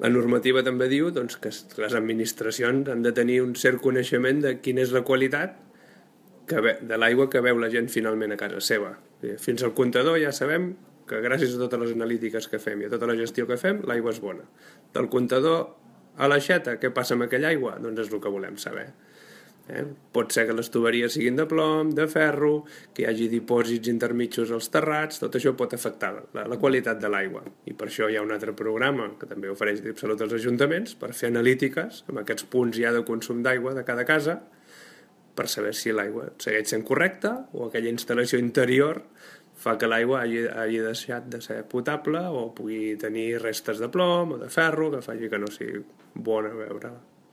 La normativa també diu doncs, que les administracions han de tenir un cert coneixement de quina és la qualitat de l'aigua que beu la gent finalment a casa seva. Fins al comptador ja sabem que gràcies a totes les analítiques que fem i a tota la gestió que fem, l'aigua és bona. Del comptador a l'aixeta, què passa amb aquella aigua? Doncs és el que volem saber. Pot ser que les tuberies siguin de plom, de ferro, que hi hagi dipòsits intermitjos als terrats, tot això pot afectar la qualitat de l'aigua. I per això hi ha un altre programa que també ofereix DipSalut als ajuntaments per fer analítiques amb aquests punts ja de consum d'aigua de cada casa per saber si l'aigua segueix sent correcta o aquella instal·lació interior fa que l'aigua hagi deixat de ser potable o pugui tenir restes de plom o de ferro que faci que no sigui bona a beure.